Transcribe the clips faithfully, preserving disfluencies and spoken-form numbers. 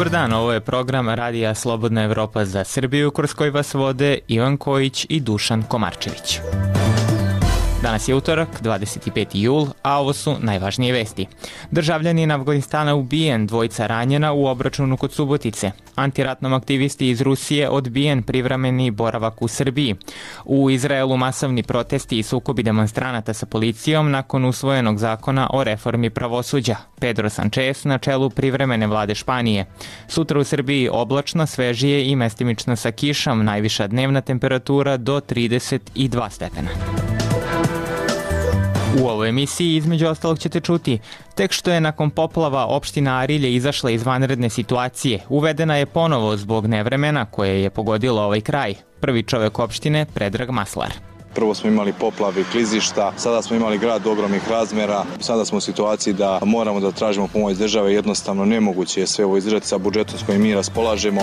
Dobar dan, ovo je program Radija Slobodna Evropa za Srbiju, kroz koji vas vode Ivan Kojić i Dušan Komarčević. Danas je utorak, dvadeset peti jul, a ovo su najvažnije vesti. Državljanin Avganistana ubijen, dvojica ranjena u obračunu kod Subotice. Antiratnom aktivisti iz Rusije odbijen privremeni boravak u Srbiji. U Izraelu masovni protesti i sukobi demonstranata sa policijom nakon usvojenog zakona o reformi pravosuđa. Pedro Sanchez na čelu privremene vlade Španije. Sutra u Srbiji oblačno, svežije i mestimično sa kišom, najviša dnevna temperatura do trideset dva stepena. U ovoj emisiji između ostalog ćete čuti, tek što je nakon poplava opština Arilje izašla iz vanredne situacije, uvedena je ponovo zbog nevremena koje je pogodilo ovaj kraj. Prvi čovek opštine, Predrag Maslar. Prvo smo imali poplave i klizišta, sada smo imali grad ogromnih razmera, sada smo u situaciji da moramo da tražimo pomoć države, jednostavno nemoguće je sve ovo izdržati sa budžetom s kojim mi raspolažemo.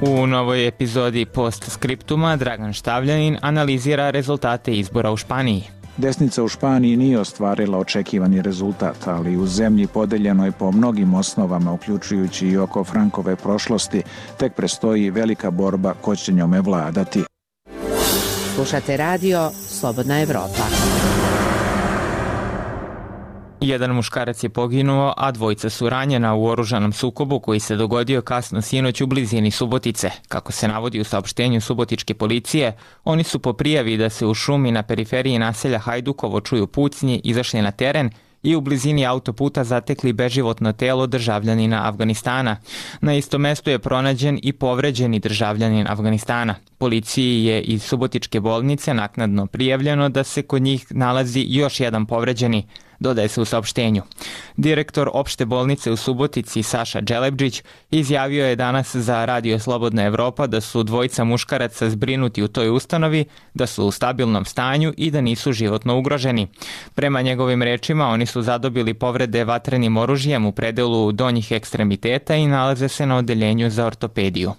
U novoj epizodi Postskriptuma Dragan Štavljanin analizira rezultate izbora u Španiji. Desnica u Španiji nije ostvarila očekivani rezultat, ali u zemlji podeljenoj po mnogim osnovama, uključujući i oko Frankove prošlosti, tek prestoji velika borba ko će njome vladati. Slušate radio Slobodna Evropa. Jedan muškarac je poginuo, a dvojica su ranjena u oružanom sukobu koji se dogodio kasno sinoć u blizini Subotice. Kako se navodi u saopštenju subotičke policije, oni su po prijavi da se u šumi na periferiji naselja Hajdukovo čuju pucnji izašli na teren i u blizini autoputa zatekli beživotno telo državljanina Avganistana. Na istom mestu je pronađen i povređeni državljanin Avganistana. Policiji je iz subotičke bolnice naknadno prijavljeno da se kod njih nalazi još jedan povređeni, dodaje se u saopštenju. Direktor opšte bolnice u Subotici Saša Đelebđić izjavio je danas za Radio Slobodna Evropa da su dvojica muškaraca zbrinuti u toj ustanovi, da su u stabilnom stanju i da nisu životno ugroženi. Prema njegovim rečima, oni su zadobili povrede vatrenim oružjem u predelu donjih ekstremiteta i nalaze se na odeljenju za ortopediju.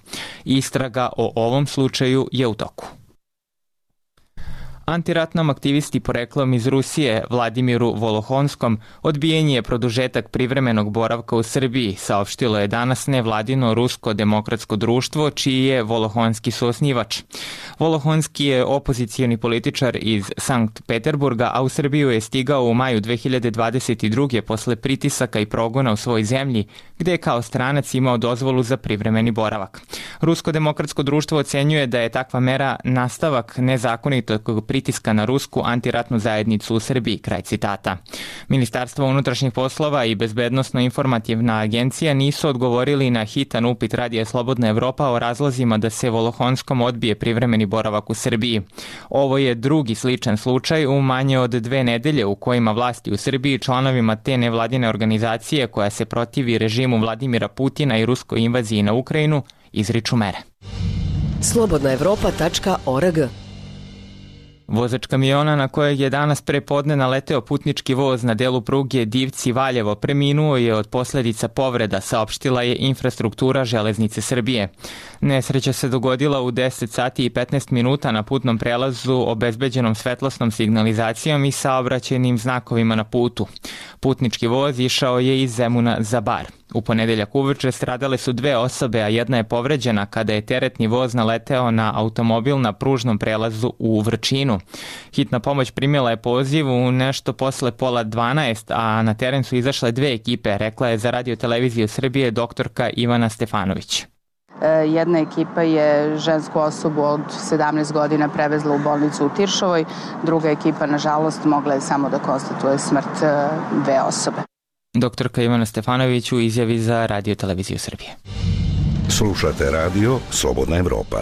Istraga o ovom slučaju je u toku. Antiratnom aktivisti poreklom iz Rusije Vladimiru Volohonskom odbijen je produžetak privremenog boravka u Srbiji, saopštilo je danas nevladino Rusko demokratsko društvo, čiji je Volohonski suosnivač. Volohonski je opozicijani političar iz Sankt Peterburga, a u Srbiju je stigao u maju dve hiljade dvadeset druge posle pritisaka i progona u svojoj zemlji, gde je kao stranac imao dozvolu za privremeni boravak. Rusko demokratsko društvo ocenjuje da je takva mera nastavak nezakonitog pritiska na rusku antiratnu zajednicu u Srbiji, kraj citata. Ministarstvo unutrašnjih poslova i Bezbednosno-informativna agencija nisu odgovorili na hitan upit Radija Slobodna Evropa o razlozima da se Volohonskom odbije privremeni boravak u Srbiji. Ovo je drugi sličan slučaj u manje od dve nedelje u kojima vlasti u Srbiji članovima te nevladine organizacije koja se protivi režimu Vladimira Putina i ruskoj invaziji na Ukrajinu izriču mere. slobodna evropa tačka org. Vozač kamiona na kojeg je danas pre podne naleteo putnički voz na delu pruge Divci-Valjevo preminuo je od posledica povreda, saopštila je infrastruktura Železnice Srbije. Nesreća se dogodila u deset sati i petnaest minuta na putnom prelazu obezbeđenom svetlosnom signalizacijom i saobraćajnim znakovima na putu. Putnički voz išao je iz Zemuna za Bar. U ponedeljak uveče stradale su dve osobe, a jedna je povređena kada je teretni voz naleteo na automobil na pružnom prelazu u Vrčinu. Hitna pomoć primila je poziv u nešto posle pola dvanaest, a na teren su izašle dve ekipe, rekla je za Radio televiziju Srbije doktorka Ivana Stefanović. Jedna ekipa je žensku osobu od sedamnaest godina prevezla u bolnicu u Tiršovoj, druga ekipa, nažalost, mogla je samo da konstatuje smrt dve osobe. Doktorka Ivana Stefanović u izjavi za Radio televiziju Srbije. Slušate radio Slobodna Evropa.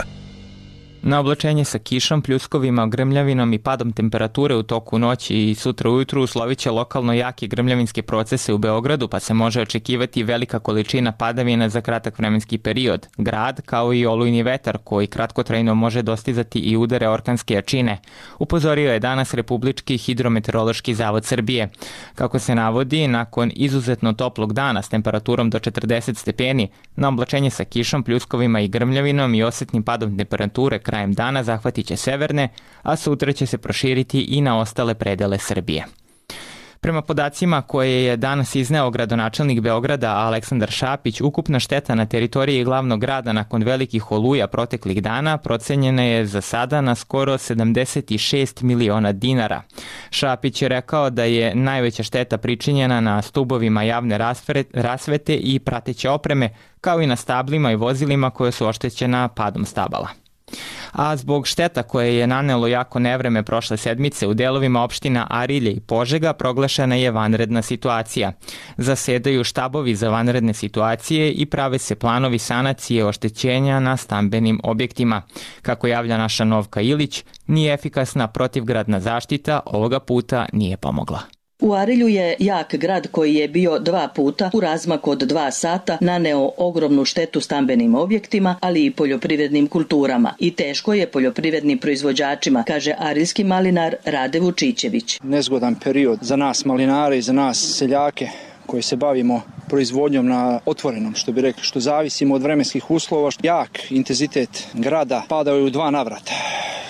Na oblačenje sa kišom, pljuskovima, grmljavinom i padom temperature u toku noći i sutra ujutru uslovit će lokalno jake grmljavinske procese u Beogradu, pa se može očekivati velika količina padavina za kratak vremenski period. Grad, kao i olujni vetar, koji kratkotrajno može dostizati i udare orkanske jačine, upozorio je danas Republički hidrometeorološki zavod Srbije. Kako se navodi, nakon izuzetno toplog dana s temperaturom do četrdeset stepeni, na oblačenje sa kišom, pljuskovima i grmljavinom i osetnim padom temperature krajem dana zahvatit će severne, a sutra će se proširiti i na ostale predele Srbije. Prema podacima koje je danas izneo gradonačelnik Beograda Aleksandar Šapić, ukupna šteta na teritoriji glavnog grada nakon velikih oluja proteklih dana procenjena je za sada na skoro sedamdeset šest miliona dinara. Šapić je rekao da je najveća šteta pričinjena na stubovima javne rasvete i prateće opreme, kao i na stablima i vozilima koje su oštećena padom stabala. A zbog šteta koje je nanelo jako nevreme prošle sedmice u delovima opština Arilje i Požega proglašena je vanredna situacija. Zasedaju štabovi za vanredne situacije i prave se planovi sanacije oštećenja na stambenim objektima. Kako javlja naša Novka Ilić, nije efikasna protivgradna zaštita ovoga puta nije pomogla. U Arilju je jak grad koji je bio dva puta u razmaku od dva sata naneo ogromnu štetu stambenim objektima, ali i poljoprivrednim kulturama. I teško je poljoprivrednim proizvođačima, kaže arilski malinar Rade Vučićević. Nezgodan period za nas malinare i za nas seljake koji se bavimo proizvodnjom na otvorenom, što bi rekli, što zavisimo od vremenskih uslova. Jak intenzitet grada padao je u dva navrata.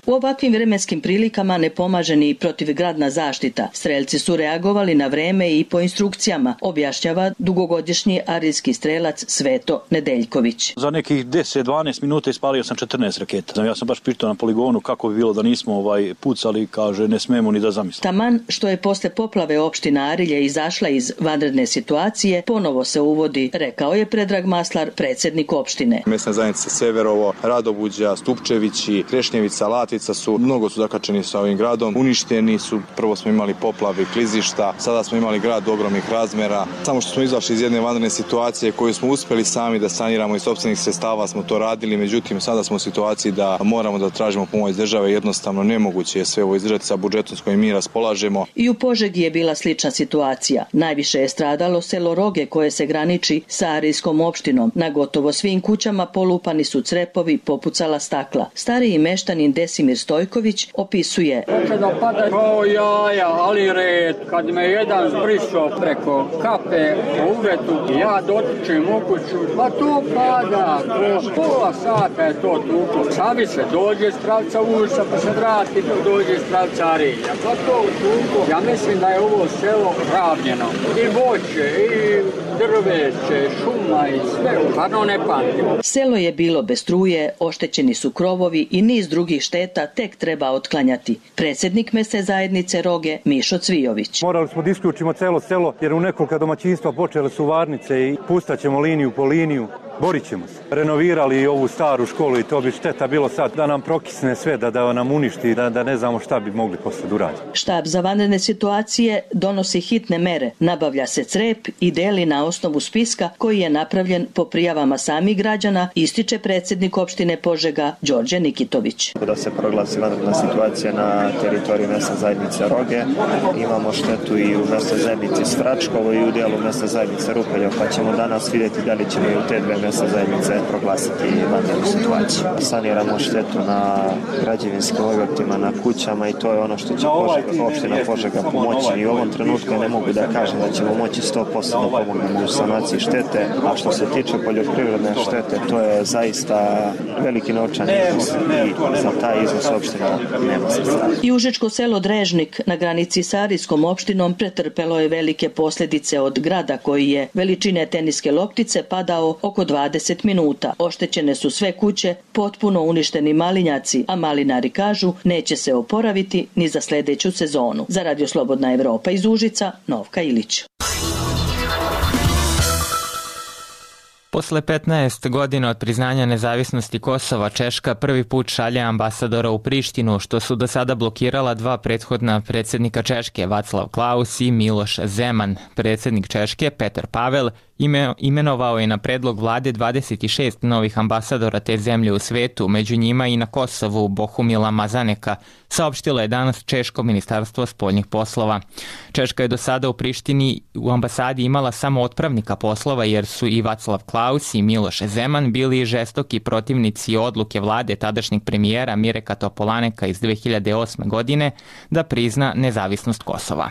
U ovakvim vremenskim prilikama ne pomaže ni protivgradna zaštita. Strelci su reagovali na vreme i po instrukcijama, objašnjava dugogodišnji arilski strelac Sveto Nedeljković. Za nekih deset do dvanaest minuta ispalio sam četrnaest raketa. Ja sam baš pitao na poligonu kako bi bilo da nismo ovaj pucali, kaže ne smemo ni da zamislimo. Taman što je posle poplave opština Arilje izašla iz vanredne situacije, ponovo se uvodi, rekao je Predrag Maslar, predsjednik opštine. Mesna zajednica Severovo, Radobuđa, Stupčevići, Krešnjevica, Lat su, mnogo su zakačeni sa ovim gradom, uništeni su, prvo smo imali poplave, klizišta, sada smo imali grad ogromnih razmera. Samo što smo izašli iz jedne vanredne situacije koju smo uspeli sami da saniramo iz sopstvenih sredstava, smo to radili, međutim sada smo u situaciji da moramo da tražimo pomoć države, jednostavno nemoguće je sve ovo izdržati sa budžetom s kojim mi raspolažemo. I u Požegi je bila slična situacija. Najviše je stradalo selo Roge koje se graniči sa arilskom opštinom. Na gotovo svim kućama polupani su crepovi, popucala stakla. Stariji meštanin Desimir Stojković opisuje. Hoće da pada kao jaja, ali red, kad me jedan zbrisao preko kape u uvetu, ja dotičem u kuću, pa to pada, to pola sata je to tuko. Sami se dođe s pravca ulica, pa se vrati, pa dođe s pravca Arilja, pa to tuko. Ja mislim da je ovo selo ravnjeno, i voće, i drveće, šuma i sve, stvarno ne pamtimo. Selo je bilo bez struje, oštećeni su krovovi i niz drugih šteta tek treba otklanjati. Predsjednik mesne zajednice Roge Mišo Cvijović. Morali smo da isključimo celo selo jer u nekoliko domaćinstva počele su varnice i pustaćemo liniju po liniju. Borit ćemo se. Renovirali ovu staru školu i to bi šteta bilo sad da nam prokisne sve, da, da nam uništi, da, da ne znamo šta bi mogli posle da uraditi. Štab za vanredne situacije donosi hitne mere. Nabavlja se crep i deli na osnovu spiska koji je napravljen po prijavama samih građana, ističe predsjednik opštine Požega Đorđe Nikitović. Da se proglasi vanredna situacija na teritoriji mesne zajednice Roge. Imamo štetu i u mesnoj zajednici Svračkovo i u dijelu mesne zajednice Rupeljo, pa ćemo danas vidjeti da li ćemo i u te dve mesne zajednice proglasiti vanrednu situaciju. Saniramo štetu na građevinskim objektima, na kućama i to je ono što će Požega, opština Požega pomoći. I u ovom trenutku ne mogu da kažem da ćemo moći sto posto da pomognemo u sanaciji štete, a što se tiče poljoprivredne štete, to je zaista veliki novčani iznos i za taj iznos opština nema sredstava. I užičko selo Drežnik na granici sa arilskom opštinom pretrpelo je velike posljedice od grada koji je veličine teniske loptice padao oko dvadeset minuta. Oštećene su sve kuće, potpuno uništeni malinjaci, a malinari kažu neće se oporaviti ni za sljedeću sezonu. Za Radio Slobodna Evropa iz Užica, Novka Ilić. Posle petnaest godina od priznanja nezavisnosti Kosova, Češka prvi put šalje ambasadora u Prištinu, što su do sada blokirala dva prethodna predsjednika Češke, Václav Klaus i Miloš Zeman. Predsjednik Češke, Petar Pavel, imenovao je na predlog vlade dvadeset šest novih ambasadora te zemlje u svetu, među njima i na Kosovu Bohumila Mazaneka, saopštilo je danas Češko ministarstvo spoljnih poslova. Češka je do sada u Prištini u ambasadi imala samo otpravnika poslova jer su i Václav Klaus i Miloš Zeman bili žestoki protivnici odluke vlade tadašnjeg premijera Mireka Topolaneka iz dve hiljade osme godine da prizna nezavisnost Kosova.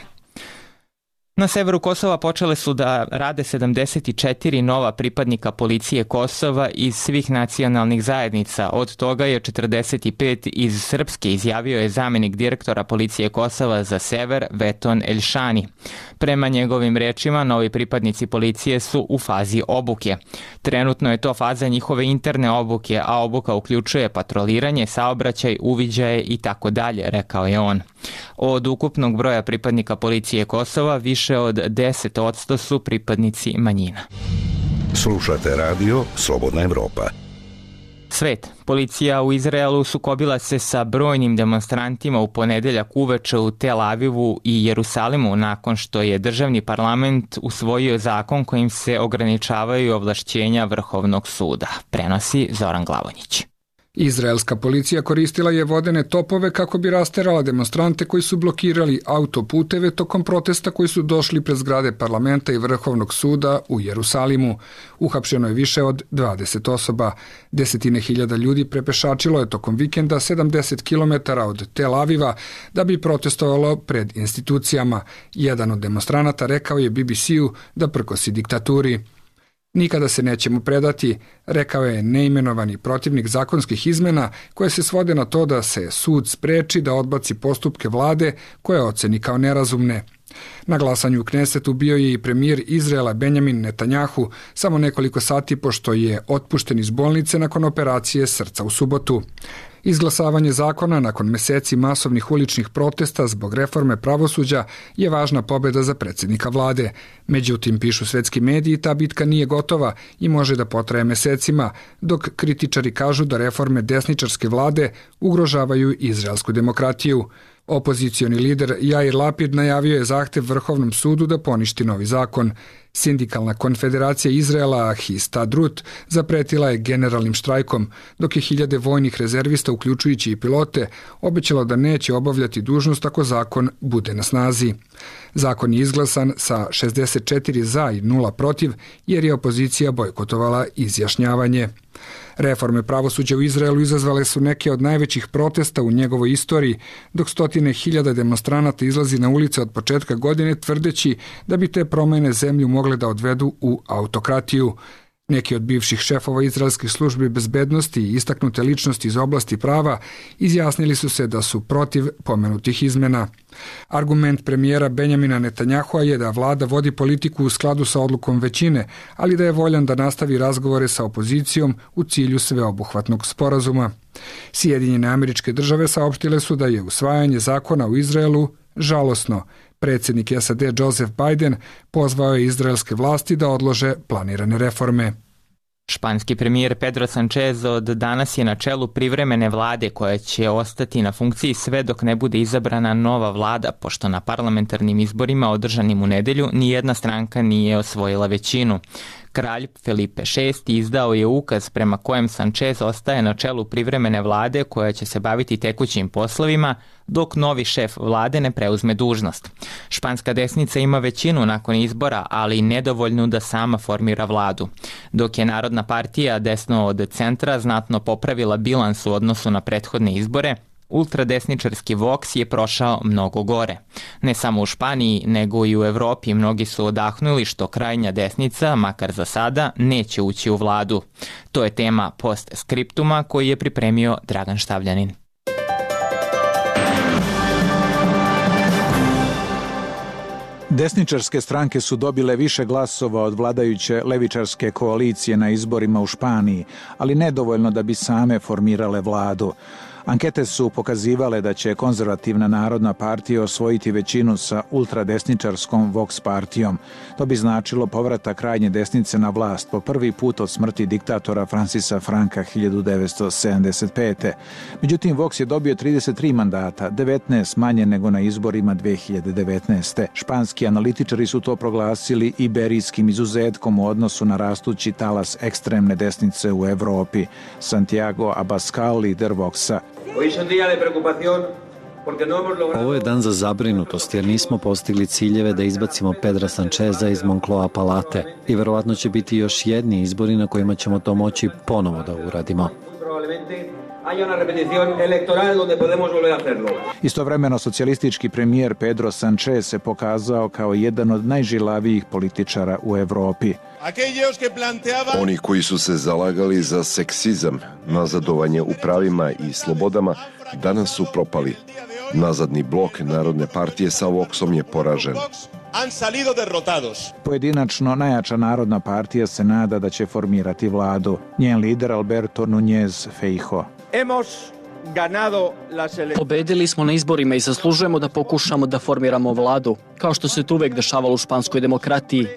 Na severu Kosova počele su da rade sedamdeset četiri nova pripadnika policije Kosova iz svih nacionalnih zajednica. Od toga je četrdeset pet iz Srpske, izjavio je zamenik direktora policije Kosova za sever Veton Elšani. Prema njegovim rečima, novi pripadnici policije su u fazi obuke. Trenutno je to faza njihove interne obuke, a obuka uključuje patroliranje, saobraćaj, uviđaje i tako dalje, rekao je on. Od ukupnog broja pripadnika policije Kosova, više od deset posto su pripadnici manjina. Slušate radio Slobodna Evropa. Svet. Policija u Izraelu sukobila se sa brojnim demonstrantima u ponedeljak uveče u Tel Avivu i Jerusalimu nakon što je državni parlament usvojio zakon kojim se ograničavaju ovlašćenja Vrhovnog suda. Prenosi Zoran Glavonjić. Izraelska policija koristila je vodene topove kako bi rasterala demonstrante koji su blokirali autoputeve tokom protesta koji su došli pred zgrade parlamenta i Vrhovnog suda u Jerusalimu. Uhapšeno je više od dvadeset osoba. Desetine hiljada ljudi prepešačilo je tokom vikenda sedamdeset kilometara od Tel Aviva da bi protestovalo pred institucijama. Jedan od demonstranata rekao je B B C-u da prkosi diktaturi. Nikada se nećemo predati, rekao je neimenovani protivnik zakonskih izmena koje se svode na to da se sud spreči da odbaci postupke vlade koje oceni kao nerazumne. Na glasanju u Knesetu bio je i premijer Izraela Benjamin Netanjahu samo nekoliko sati pošto je otpušten iz bolnice nakon operacije srca u subotu. Izglasavanje zakona nakon meseci masovnih uličnih protesta zbog reforme pravosuđa je važna pobjeda za predsjednika vlade. Međutim, pišu svetski mediji, ta bitka nije gotova i može da potraje mesecima, dok kritičari kažu da reforme desničarske vlade ugrožavaju izraelsku demokratiju. Opozicioni lider Jair Lapid najavio je zahtev Vrhovnom sudu da poništi novi zakon. Sindikalna konfederacija Izraela Histadrut zapretila je generalnim štrajkom, dok je hiljade vojnih rezervista, uključujući i pilote, obećalo da neće obavljati dužnost ako zakon bude na snazi. Zakon je izglasan sa šezdeset četiri za i nula protiv, jer je opozicija bojkotovala izjašnjavanje. Reforme pravosuđa u Izraelu izazvale su neke od najvećih protesta u njegovoj istoriji, dok stotine hiljada demonstranata izlazi na ulice od početka godine tvrdeći da bi te promjene zemlju mogle da odvedu u autokratiju. Neki od bivših šefova izraelskih službi bezbednosti i istaknute ličnosti iz oblasti prava izjasnili su se da su protiv pomenutih izmena. Argument premijera Benjamina Netanjahua je da vlada vodi politiku u skladu sa odlukom većine, ali da je voljan da nastavi razgovore sa opozicijom u cilju sveobuhvatnog sporazuma. Sjedinjene Američke Države saopštile su da je usvajanje zakona u Izraelu žalosno. Predsjednik S A D Joseph Biden pozvao je izraelske vlasti da odlože planirane reforme. Španski premijer Pedro Sanchez od danas je na čelu privremene vlade koja će ostati na funkciji sve dok ne bude izabrana nova vlada, pošto na parlamentarnim izborima održanim u nedelju nijedna stranka nije osvojila većinu. Kralj Felipe šesti izdao je ukaz prema kojem Sanchez ostaje na čelu privremene vlade koja će se baviti tekućim poslovima dok novi šef vlade ne preuzme dužnost. Španska desnica ima većinu nakon izbora, ali nedovoljnu da sama formira vladu. Dok je Narodna partija desno od centra znatno popravila bilans u odnosu na prethodne izbore, ultradesničarski Vox je prošao mnogo gore. Ne samo u Španiji, nego i u Evropi mnogi su odahnuli što krajnja desnica, makar za sada, neće ući u vladu. To je tema postskriptuma koji je pripremio Dragan Štavljanin. Desničarske stranke su dobile više glasova od vladajuće levičarske koalicije na izborima u Španiji, ali nedovoljno da bi same formirale vladu. Ankete su pokazivale da će konzervativna Narodna partija osvojiti većinu sa ultradesničarskom Vox partijom. To bi značilo povratak krajnje desnice na vlast po prvi put od smrti diktatora Francisa Franka hiljadu devetsto sedamdeset pete. Međutim, Vox je dobio trideset tri mandata, devetnaest manje nego na izborima dve hiljade devetnaeste. Španski analitičari su to proglasili iberijskim izuzetkom u odnosu na rastući talas ekstremne desnice u Evropi. Santiago Abascal, lider Voxa. Ovo je dan za zabrinutost jer nismo postigli ciljeve da izbacimo Pedra Sancheza iz Moncloa palate i verovatno će biti još jedni izbori na kojima ćemo to moći ponovo da uradimo. Istovremeno socijalistički premijer Pedro Sanchez se pokazao kao jedan od najžilavijih političara u Evropi. Oni koji su se zalagali za seksizam, nazadovanje u pravima i slobodama, danas su propali. Nazadni blok Narodne partije sa Voxom je poražen. Pojedinačno najjača Narodna partija se nada da će formirati vladu. Njen lider Alberto Núñez Feijóo. Pobedili smo na izborima i zaslužujemo da pokušamo da formiramo vladu, kao što se to uvek dešavalo u španskoj demokratiji.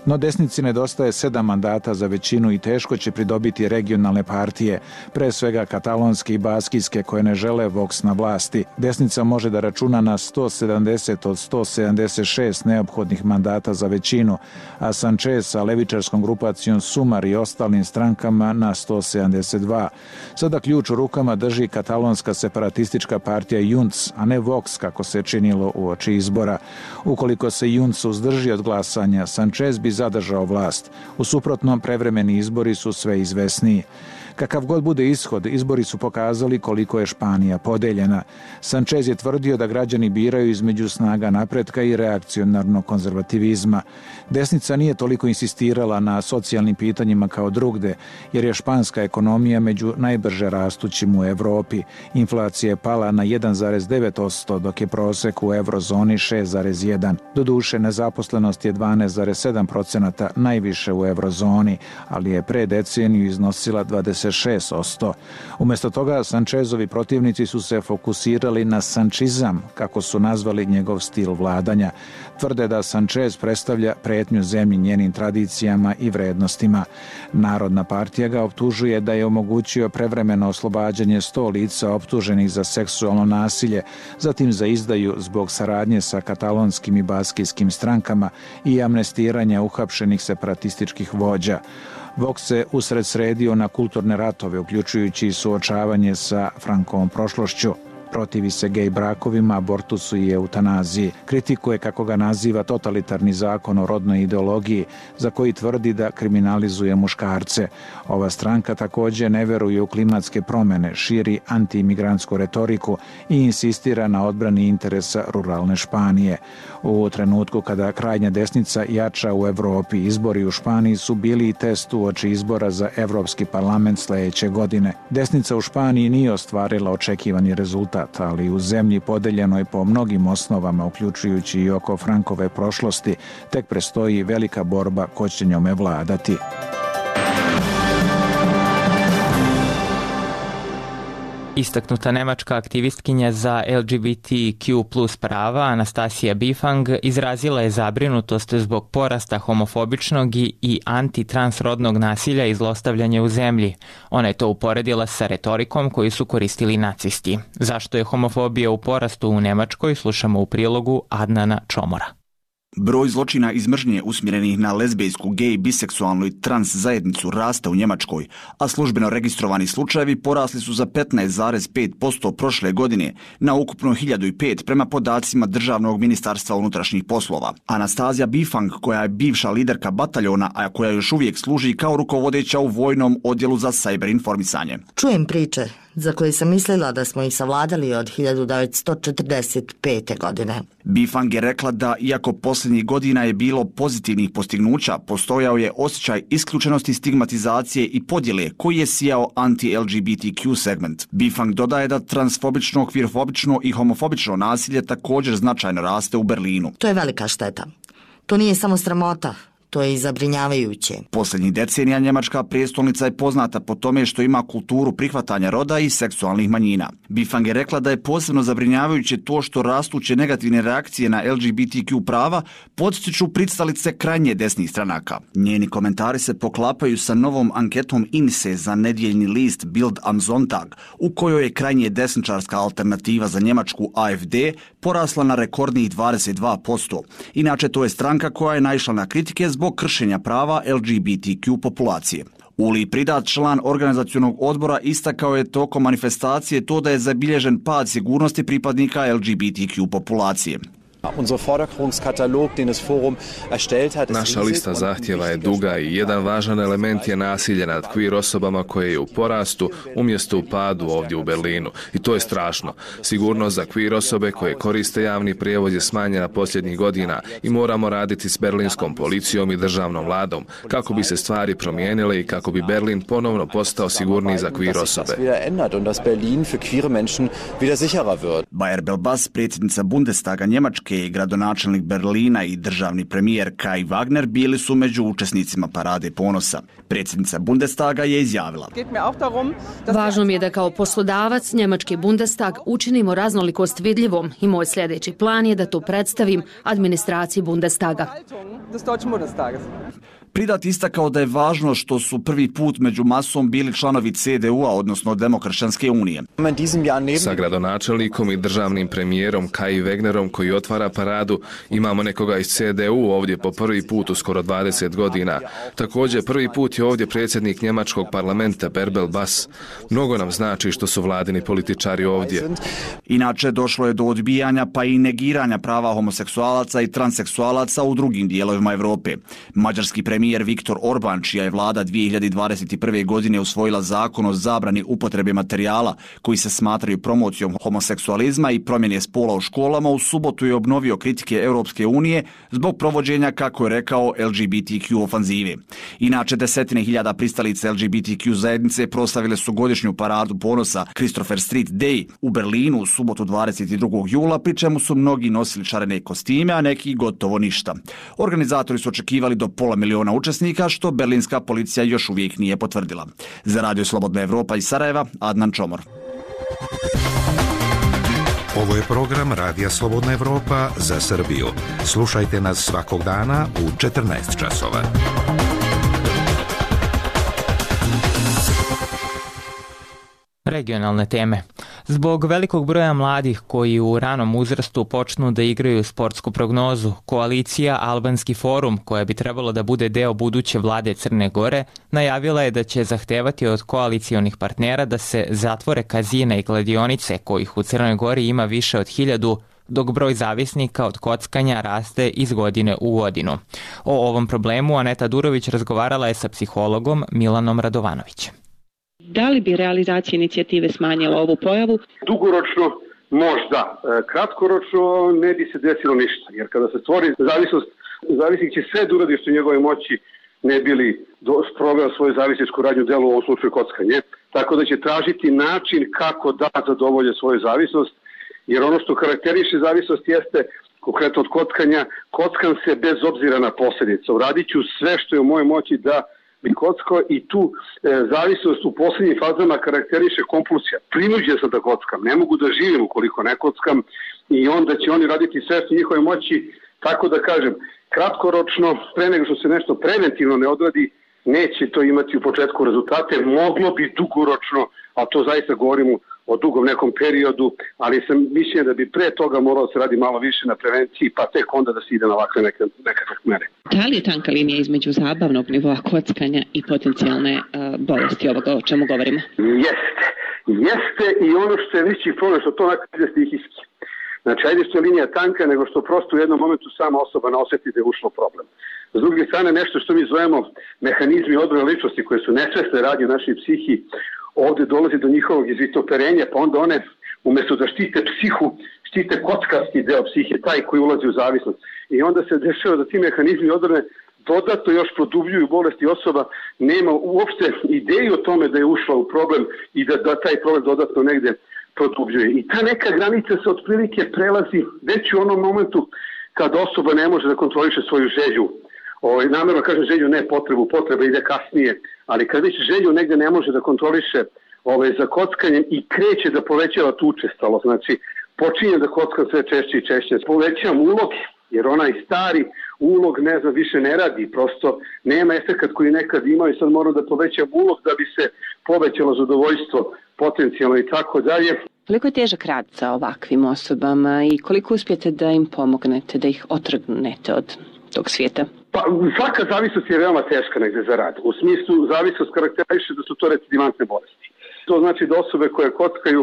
No desnici nedostaje sedam mandata za većinu i teško će pridobiti regionalne partije, pre svega katalonske i baskijske koje ne žele Vox na vlasti. Desnica može da računa na sto sedamdeset od sto sedamdeset šest neophodnih mandata za većinu, a Sanchez sa levičarskom grupacijom Sumar i ostalim strankama na sto sedamdeset dva. Sada ključ u rukama drži katalonska separatistička partija Junts, a ne Vox kako se činilo uoči izbora. Ukoliko se Junts uzdrži od glasanja, Sanchez bi zadržao vlast. U suprotnom, prevremeni izbori su sve izvesniji. Kakav god bude ishod, izbori su pokazali koliko je Španija podeljena. Sanchez je tvrdio da građani biraju između snaga napretka i reakcionarnog konzervativizma. Desnica nije toliko insistirala na socijalnim pitanjima kao drugde, jer je španska ekonomija među najbrže rastućim u Evropi. Inflacija je pala na jedan zarez devet posto, dok je prosek u eurozoni šest zarez jedan. Doduše, nezaposlenost je dvanaest zarez sedam procenata, najviše u eurozoni, ali je pre deceniju iznosila dvadeset šest posto. Umesto toga, Sanchezovi protivnici su se fokusirali na sančizam, kako su nazvali njegov stil vladanja. Tvrde da Sanchez predstavlja pretnju zemlji njenim tradicijama i vrednostima. Narodna partija ga optužuje da je omogućio prevremeno oslobađanje sto lica optuženih za seksualno nasilje, zatim za izdaju zbog saradnje sa katalonskim i baskijskim strankama i amnestiranja uhapšenih separatističkih vođa. Vox se usred sredio na kulturne ratove, uključujući suočavanje sa Frankovom prošlošću. Protivi se gej brakovima, abortusu i eutanaziji. Kritikuje, kako ga naziva, totalitarni zakon o rodnoj ideologiji, za koji tvrdi da kriminalizuje muškarce. Ova stranka takođe ne veruje u klimatske promene, širi antiimigrantsku retoriku i insistira na odbrani interesa ruralne Španije. U trenutku kada krajnja desnica jača u Evropi, izbori u Španiji su bili i test uoči izbora za Evropski parlament sledeće godine. Desnica u Španiji nije ostvarila očekivani rezultat, ali u zemlji podeljenoj po mnogim osnovama, uključujući i oko Frankove prošlosti, tek prestoji velika borba ko će njome vladati. Istaknuta nemačka aktivistkinja za L G B T Q plus prava Anastasija Bifang izrazila je zabrinutost zbog porasta homofobičnog i antitransrodnog nasilja i zlostavljanja u zemlji. Ona je to uporedila sa retorikom koju su koristili nacisti. Zašto je homofobija u porastu u Nemačkoj, slušamo u prilogu Adnana Čomora. Broj zločina iz mržnje usmjerenih na lezbijsku, gej, biseksualnu i trans zajednicu raste u Njemačkoj, a službeno registrovani slučajevi porasli su za petnaest zarez pet posto prošle godine na ukupno hiljadu pet prema podacima Državnog ministarstva unutrašnjih poslova. Anastazija Bifang, koja je bivša liderka bataljona, a koja još uvijek služi kao rukovodeća u vojnom odjelu za sajber informisanje. Čujem priče za koje sam mislila da smo ih savladali od hiljadu devetsto četrdeset pete. godine. Bifang je rekla da, iako posljednjih godina je bilo pozitivnih postignuća, postojao je osjećaj isključenosti, stigmatizacije i podjele koji je sijao anti-L G B T Q segment. Bifang dodaje da transfobično, kvirfobično i homofobično nasilje također značajno raste u Berlinu. To je velika šteta. To nije samo sramota. To je i zabrinjavajuće. Posljednjih decenija njemačka prijestolnica je poznata po tome što ima kulturu prihvatanja roda i seksualnih manjina. Bifang je rekla da je posebno zabrinjavajuće to što rastuće negativne reakcije na L G B T Q prava podstiču pristalice krajnje desnih stranaka. Njeni komentari se poklapaju sa novom anketom I N S E za nedjeljni list Bild am Sonntag, u kojoj je krajnje desničarska alternativa za Njemačku A F D porasla na rekordnih dvadeset dva posto. Inače, to je stranka koja je naišla na kritike zbog kršenja prava L G B T Q populacije. Uli Pridat, član organizacionog odbora, istakao je tokom manifestacije to da je zabilježen pad sigurnosti pripadnika L G B T Q populacije. Naša lista zahtjeva je duga i jedan važan element je nasilje nad queer osobama koje je u porastu umjesto u padu ovdje u Berlinu. I to je strašno. Sigurnost za queer osobe koje koriste javni prijevoz je smanjena posljednjih godina i moramo raditi s berlinskom policijom i državnom vladom kako bi se stvari promijenile i kako bi Berlin ponovno postao sigurniji za queer osobe. Bayer Belbas, predsjednica Bundestaga Njemačke i gradonačelnik Berlina i državni premijer Kai Wagner bili su među učesnicima Parade ponosa. Predsjednica Bundestaga je izjavila: Važno mi je da kao poslodavac Njemački Bundestag učinimo raznolikost vidljivom i moj sljedeći plan je da to predstavim administraciji Bundestaga. Pridat istakao da je važno što su prvi put među masom bili članovi C D U-a, odnosno Demokršćanske unije. Sa gradonačelnikom i državnim premijerom Kai Wegnerom koji otvara paradu imamo nekoga iz C D U ovdje po prvi put u skoro dvadeset godina. Također prvi put je ovdje predsjednik njemačkog parlamenta Bärbel Bass. Mnogo nam znači što su vladini političari ovdje. Inače došlo je do odbijanja pa i negiranja prava homoseksualaca i transseksualaca u drugim dijelovima Europe. Mađarski premijer Premijer Viktor Orban, čija je vlada dvije hiljade dvadeset prve. godine usvojila zakon o zabrani upotrebe materijala koji se smatraju promocijom homoseksualizma i promjene spola u školama, u subotu je obnovio kritike Europske unije zbog provođenja, kako je rekao, L G B T Q ofanzive. Inače, desetine hiljada pristalica L G B T Q zajednice proslavile su godišnju paradu ponosa Christopher Street Day u Berlinu u subotu dvadeset drugog jula, pri čemu su mnogi nosili šarene kostime, a neki gotovo ništa. Organizatori su očekivali do pola miliona učesnika, što berlinska policija još uvijek nije potvrdila. Za Radio Slobodna Evropa iz Sarajeva, Adnan Čomor. Ovo je program Radija Slobodna Evropa za Srbiju. Slušajte nas svakog dana u četrnaest časova. Regionalne teme. Zbog velikog broja mladih koji u ranom uzrastu počnu da igraju sportsku prognozu, koalicija Albanski forum, koja bi trebalo da bude deo buduće vlade Crne Gore, najavila je da će zahtevati od koalicijonih partnera da se zatvore kazine i kladionice, kojih u Crnoj Gori ima više od hiljadu, dok broj zavisnika od kockanja raste iz godine u godinu. O ovom problemu Aneta Durović razgovarala je sa psihologom Milanom Radovanovićem. Da li bi realizacija inicijative smanjila ovu pojavu? Dugoročno možda. Kratkoročno ne bi se desilo ništa. Jer kada se stvori zavisnost, zavisnik će sve da uradi što u njegove moći ne bili sproveo svoju zavisničku radnju delu, u ovom slučaju kockanje. Tako da će tražiti način kako da zadovolje svoju zavisnost. Jer ono što karakteriše zavisnost jeste, konkretno od kockanja, kockam se bez obzira na posljedice. Uradit ću sve što je u mojoj moći da bi kockao i tu e, zavisnost u posljednjim fazama karakteriše kompulsija. Prinuđen sam da kockam, ne mogu da živim ukoliko ne kockam i onda će oni raditi sve što njihove moći, tako da kažem, kratkoročno, pre nego što se nešto preventivno ne odradi, neće to imati u početku rezultate, moglo bi dugoročno, a to zaista govorimo o dugom nekom periodu, ali sam mišljen da bi pre toga moralo se radi malo više na prevenciji, pa tek onda da se ide na ovakve neke, nekakve mere. Da li je tanka linija između zabavnog nivoa kockanja i potencijalne uh, bolesti ovoga o čemu govorimo? Jeste. Jeste i ono što je veći problem, što to onako ide stihijski. Znači, ajde što je linija tanka, nego što prosto u jednom momentu sama osoba ne osjeti da je ušlo problem. S druge strane, nešto što mi zovemo mehanizmi odbrane ličnosti koje su nesvesne radnje u našoj psihi, ovdje dolazi do njihovog izvitoperenja, pa onda one, umjesto da štite psihu, štite kockasti deo psihe, taj koji ulazi u zavisnost. I onda se dešava da ti mehanizmi odbrane dodatno još produbljuju bolesti, osoba nema uopšte ideju o tome da je ušla u problem i da, da taj problem dodatno negde produbljuje. I ta neka granica se otprilike prelazi već u onom momentu kada osoba ne može da kontroliše svoju želju. Ovaj, namjerno kažem želju, ne potrebu, potreba ide kasnije, ali kad već želju negde ne može da kontroliše ovaj, za kockanjem i kreće da povećava tu učestalo, znači počinje da kockam sve češće i češće, povećavam ulog, jer onaj stari ulog ne znam više ne radi, prosto nema efekat koji nekad imao i sad moram da povećam ulog da bi se povećalo zadovoljstvo potencijalno i tako dalje. Koliko je težak rad sa ovakvim osobama i koliko uspijete da im pomognete, da ih otrgnete od tog svijeta? Pa svaka zavisnost je veoma teška negde za rad. U smislu zavisnost karakteriše da su to recidivantne bolesti. To znači da osobe koje kockaju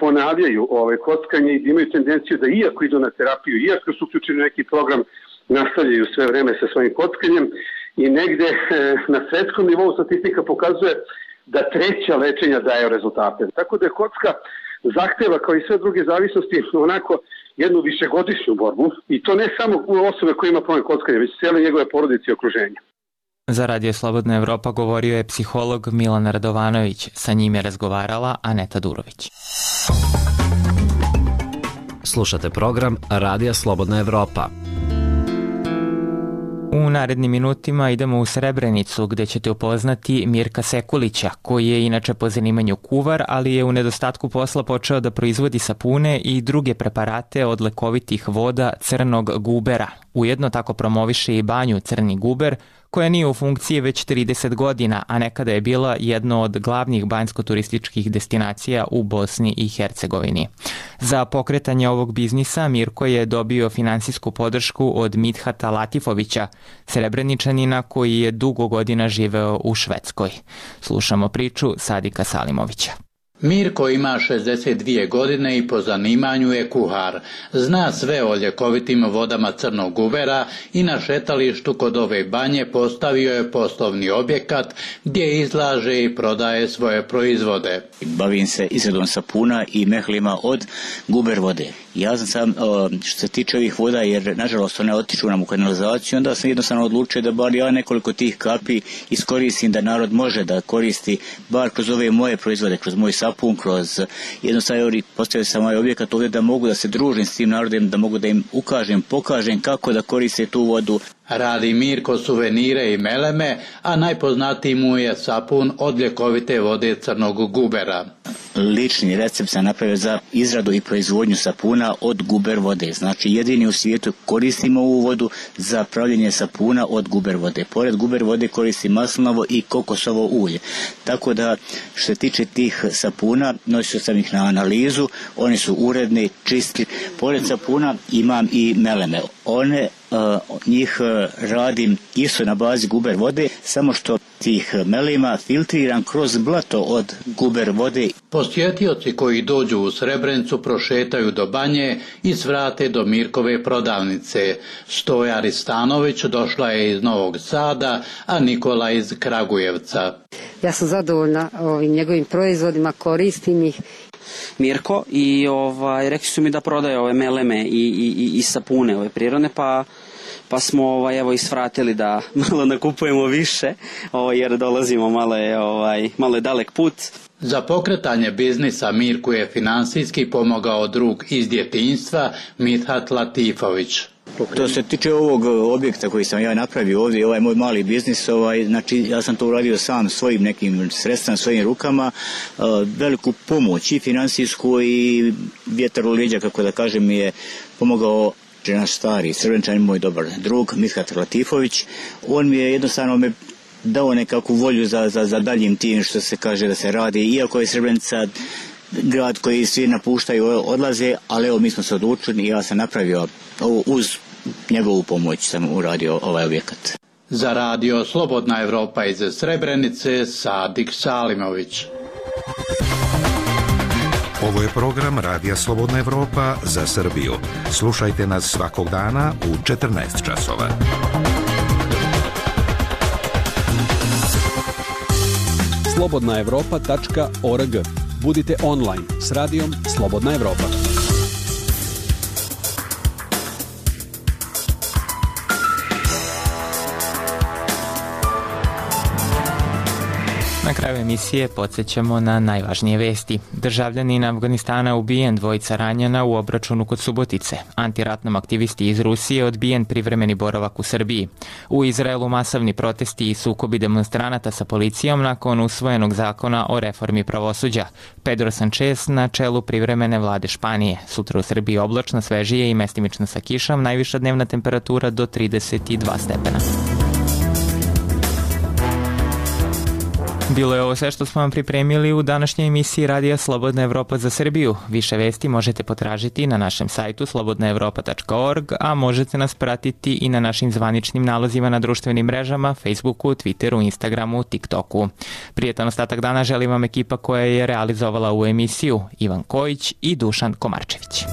ponavljaju ovaj, kockanje i da imaju tendenciju da iako idu na terapiju, iako su uključeni neki program, nastavljaju sve vreme sa svojim kockanjem i negde e, na svetskom nivou statistika pokazuje da treća lečenja daju rezultate. Tako da je kocka zahteva kao i sve druge zavisnosti onako jednu višegodišnju borbu i to ne samo u osobe koje ima problem kockanja, već cijele njegove porodice i okruženja. Za Radio Slobodna Evropa govorio je psiholog Milan Radovanović. Sa njim je razgovarala Aneta Durović. Slušate program Radija Slobodna Evropa. U narednim minutima idemo u Srebrenicu gde ćete upoznati Mirka Sekulića, koji je inače po zanimanju kuvar, ali je u nedostatku posla počeo da proizvodi sapune i druge preparate od lekovitih voda crnog gubera. Ujedno tako promoviše i banju Crni guber, koja nije u funkciji već trideset godina, a nekada je bila jedno od glavnih banjsko-turističkih destinacija u Bosni i Hercegovini. Za pokretanje ovog biznisa Mirko je dobio finansijsku podršku od Midhata Latifovića, Srebreničanina koji je dugo godina živeo u Švedskoj. Slušamo priču Sadika Salimovića. Mirko ima šezdeset dvije godine i po zanimanju je kuhar. Zna sve o ljekovitim vodama crnog gubera i na šetalištu kod ove banje postavio je poslovni objekat gdje izlaže i prodaje svoje proizvode. Bavim se izradom sapuna i mehlima od guber vode. Ja sam sam, što se tiče ovih voda, jer nažalost one otiču nam u kanalizaciju, onda sam jednostavno odlučio da bar ja nekoliko tih kapi iskoristim, da narod može da koristi bar kroz ove moje proizvode, kroz moj sapun, kroz jednostavno postavio sam ovaj objekat ovdje da mogu da se družim s tim narodom, da mogu da im ukažem, pokažem kako da koriste tu vodu. Radi Mirko suvenire i meleme, a najpoznatiji mu je sapun od ljekovite vode crnog gubera. Lični recept sam napravio za izradu i proizvodnju sapuna od guber vode. Znači jedini u svijetu koristimo ovu vodu za pravljenje sapuna od guber vode. Pored guber vode koristim maslinovo i kokosovo ulje. Tako da što se tiče tih sapuna, nosio sam ih na analizu, oni su uredni, čisti. Pored sapuna imam i meleme. One Uh, njih uh, radim isto na bazi guber vode, samo što tih melima filtriram kroz blato od guber vode. Posjetioci koji dođu u Srebrenicu prošetaju do banje i svrate do Mirkove prodavnice. Stoja Ristanović došla je iz Novog Sada, a Nikola iz Kragujevca. Ja sam zadovoljna ovim njegovim proizvodima, koristim ih. Mirko i ovaj, rekli su mi da prodaje ove meleme i, i, i sapune ove prirodne, pa, pa smo ovaj, evo isvratili da malo nakupujemo više, ovaj, jer dolazimo malo je, ovaj, malo je dalek put. Za pokretanje biznisa Mirku je finansijski pomogao drug iz djetinjstva Midhat Latifović. To se tiče ovog objekta koji sam ja napravio ovdje, ovaj moj mali biznis, ovaj, znači ja sam to uradio sam svojim nekim sredstvima, svojim rukama, uh, veliku pomoć i finansijsku i vjetar u leđa, kako da kažem, mi je pomogao naš stari Srebreničanin, moj dobar drug Midhat Latifović. On mi je jednostavno me dao nekakvu volju za, za, za daljim tim što se kaže da se radi, iako je Srebrenica grad koji svi napuštaju, odlaze, ali evo mi smo se odlučili i ja sam napravio ovo, uz njegovu pomoć sam uradio ovaj objekat. Za Radio Slobodna Evropa iz Srebrenice, Sadik Salimović. Ovo je program Radija Slobodna Evropa za Srbiju. Slušajte nas svakog dana u četrnaest časova. slobodna evropa tačka org. Budite online s radijom Slobodna Evropa. Na kraju emisije podsjećamo na najvažnije vesti. Državljanin Afganistana ubijen, dvojica ranjena u obračunu kod Subotice. Antiratnom aktivisti iz Rusije odbijen privremeni boravak u Srbiji. U Izraelu masovni protesti i sukobi demonstranata sa policijom nakon usvojenog zakona o reformi pravosuđa. Pedro Sanchez na čelu privremene vlade Španije. Sutra u Srbiji oblačno, svežije i mestimično sa kišom, najviša dnevna temperatura do trideset dva stepena. Bilo je ovo sve što smo vam pripremili u današnjoj emisiji Radija Slobodna Evropa za Srbiju. Više vesti možete potražiti na našem sajtu slobodna evropa tačka org, a možete nas pratiti i na našim zvaničnim nalozima na društvenim mrežama, Facebooku, Twitteru, Instagramu, TikToku. Prijetan ostatak dana želim vam ekipa koja je realizovala ovu emisiju, Ivan Kojić i Dušan Komarčević.